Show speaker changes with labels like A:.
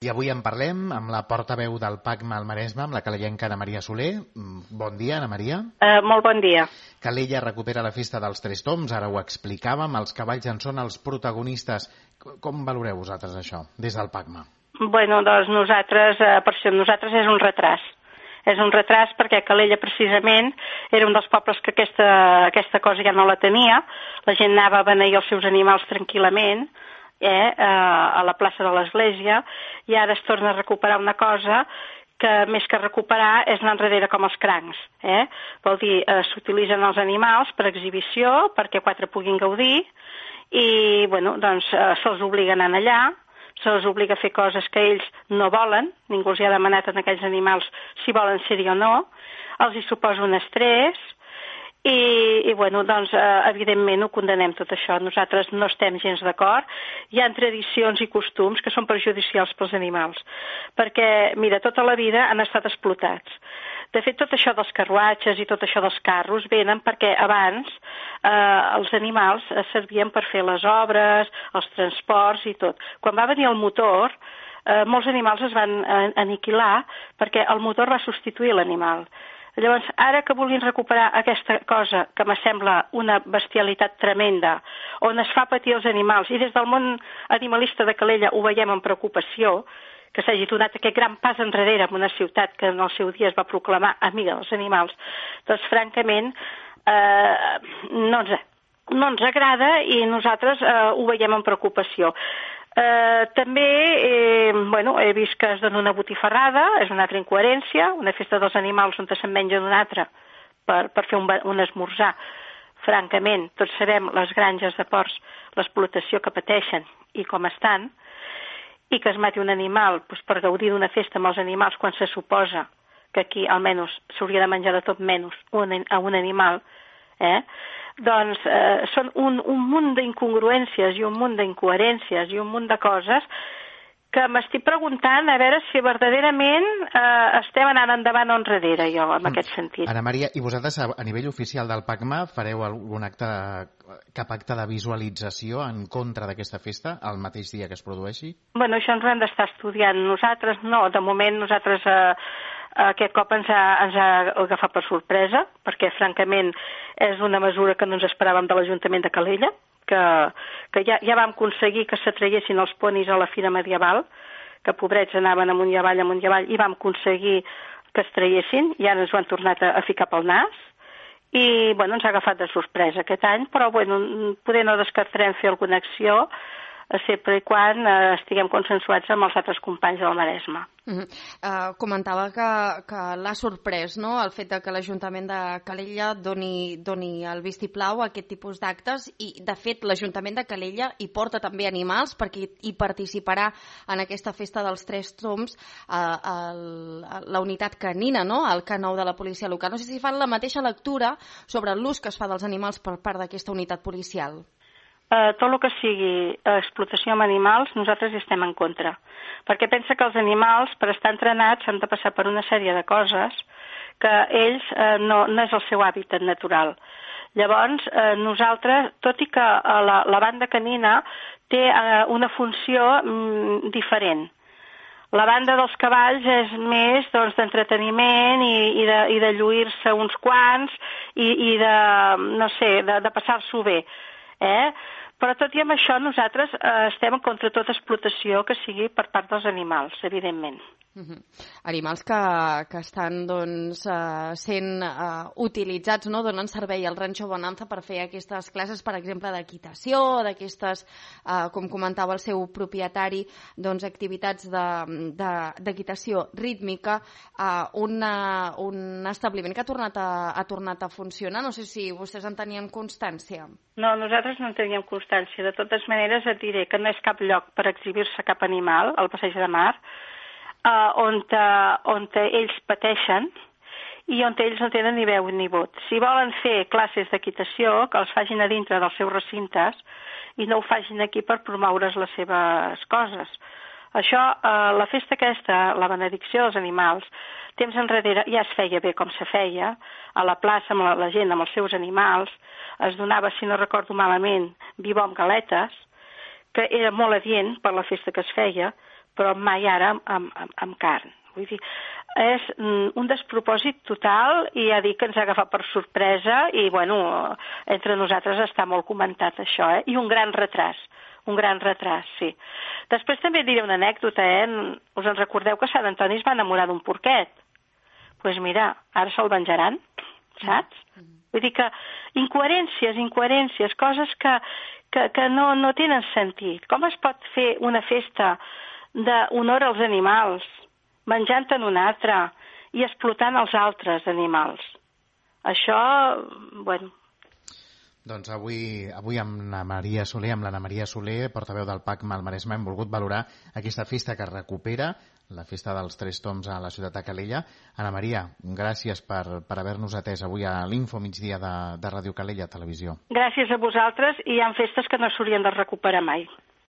A: I avui en parlem amb la portaveu del PACMA al Maresme, amb la calellenca Ana Maria Soler. Bon dia, Ana Maria.
B: Molt bon dia.
A: Calella recupera la festa dels Tres Tombs, ara ho explicàvem, els cavalls en són els protagonistes. Com valoreu vosaltres això, des del PACMA?
B: Bueno, doncs nosaltres, per això nosaltres és un retras. És un retras perquè Calella precisament era un dels pobles que aquesta cosa ja no la tenia. La gent anava a beneir els seus animals tranquil·lament, a la plaça de l'església, i ara es torna a recuperar una cosa que més que recuperar és anar enrere com els crancs. Vol dir, s'utilitzen els animals per exhibició, perquè quatre puguin gaudir, i bueno, doncs se'ls obliga a anar allà, se'ls obliga a fer coses que ells no volen, ningú els hi ha demanat a aquells animals si volen ser-hi o no, els hi suposa un estrès, i bueno, doncs, evidentment ho condenem tot això. Nosaltres no estem gens d'acord. Hi ha tradicions i costums que són perjudicials pels animals, perquè, mira, tota la vida han estat explotats. De fet, tot això dels carruatges i tot això dels carros venen perquè abans els animals servien per fer les obres, els transports i tot. Quan va venir el motor, molts animals es van aniquilar perquè el motor va substituir l'animal. Llavors, ara que vulguin recuperar aquesta cosa que m'assembla una bestialitat tremenda, on es fa patir els animals, i des del món animalista de Calella ho veiem amb preocupació, que s'hagi donat aquest gran pas enrere en una ciutat que en el seu dia es va proclamar amiga dels animals, doncs francament no ens agrada i nosaltres ho veiem amb preocupació. També he vist que es dona una botifarrada, és una altra incoherència, una festa dels animals on se'n menja d'una altra per fer un esmorzar. Francament, tots sabem les granges de porcs, l'explotació que pateixen i com estan, i que es mati un animal per gaudir d'una festa amb els animals quan se suposa que aquí almenys s'hauria de menjar de tot menys a un animal, doncs són un munt d'incongruències i un munt d'incoherències i un munt de coses que m'estic preguntant a veure si verdaderament estem anant endavant o enrere, jo, en aquest sentit.
A: Ana Maria, i vosaltres a nivell oficial del PACMA fareu algun cap acte de visualització en contra d'aquesta festa el mateix dia que es produeixi?
B: Bueno, això ens ho hem d'estar estudiant. Nosaltres no, de moment nosaltres aquest cop ens ha agafat per sorpresa, perquè francament és una mesura que no ens esperàvem de l'Ajuntament de Calella, que ja vam aconseguir que s'atraiessin els ponis a la Fira Medieval, que pobrets anaven amunt i avall, i vam aconseguir que es traiessin, i ara ens ho han tornat a ficar pel nas, i bueno, ens ha agafat de sorpresa aquest any, però bueno, poder no descartarem fer alguna acció, sempre i quan estiguem consensuats amb els altres companys del Maresme.
C: Comentava que l'ha sorprès, no?, el fet que l'Ajuntament de Calella doni el vistiplau a aquest tipus d'actes, i de fet l'Ajuntament de Calella hi porta també animals perquè hi participarà en aquesta festa dels Tres Tombs la unitat canina, no?, el K9 de la policia local. No sé si fan la mateixa lectura sobre l'ús que es fa dels animals per part d'aquesta unitat policial.
B: Tot el que sigui explotació amb animals, nosaltres hi estem en contra. Perquè pensa que els animals, per estar entrenats, han de passar per una sèrie de coses que ells no és el seu hàbitat natural. Llavors, nosaltres, tot i que la banda canina té una funció diferent. La banda dels cavalls és més d'entreteniment i de lluir-se uns quants i de passar-s'ho bé. Però tot i amb això nosaltres estem contra tota explotació que sigui per part dels animals, evidentment.
C: Animals que estan sent utilitzats, no?, donen servei al Rancho Bonanza per fer aquestes classes, per exemple, d'equitació, d'aquestes, com comentava el seu propietari, activitats d'equitació rítmica, un establiment que ha tornat a funcionar. No sé si vostès en tenien constància.
B: No, nosaltres no en teníem constància. De totes maneres, et diré que no és cap lloc per exhibir-se cap animal, al Passeig de Mar, on ells pateixen i on ells no tenen ni veu ni vot. Si volen fer classes d'equitació, que els facin a dintre dels seus recintes i no ho facin aquí per promoure's les seves coses. Això, la festa aquesta, la benedicció dels animals, temps enrere ja es feia bé com se feia, a la plaça amb la gent, amb els seus animals, es donava, si no recordo malament, vi bo amb galetes, que era molt adient per la festa que es feia, però mai ara amb carn. Vull dir, és un despropòsit total i ja dic que ens ha agafat per sorpresa i, bueno, entre nosaltres està molt comentat això, I un gran retras, sí. Després també diré una anècdota, Us en recordeu que Sant Antoni es va enamorar d'un porquet? Doncs mira, ara se'l venjaran, saps? Vull dir que incoherències, coses que no tenen sentit. Com es pot fer una festa d'honor als animals menjant-en un altre i explotant els altres animals? Això, bueno...
A: Doncs avui amb l'Anna Maria Soler, portaveu del PACMA al Maresme, hem volgut valorar aquesta festa que recupera, la festa dels Tres Tombs a la ciutat de Calella. Anna Maria, gràcies per haver-nos atès avui a l'Info Migdia de Ràdio Calella Televisió.
B: Gràcies a vosaltres, i hi ha festes que no s'haurien de recuperar mai.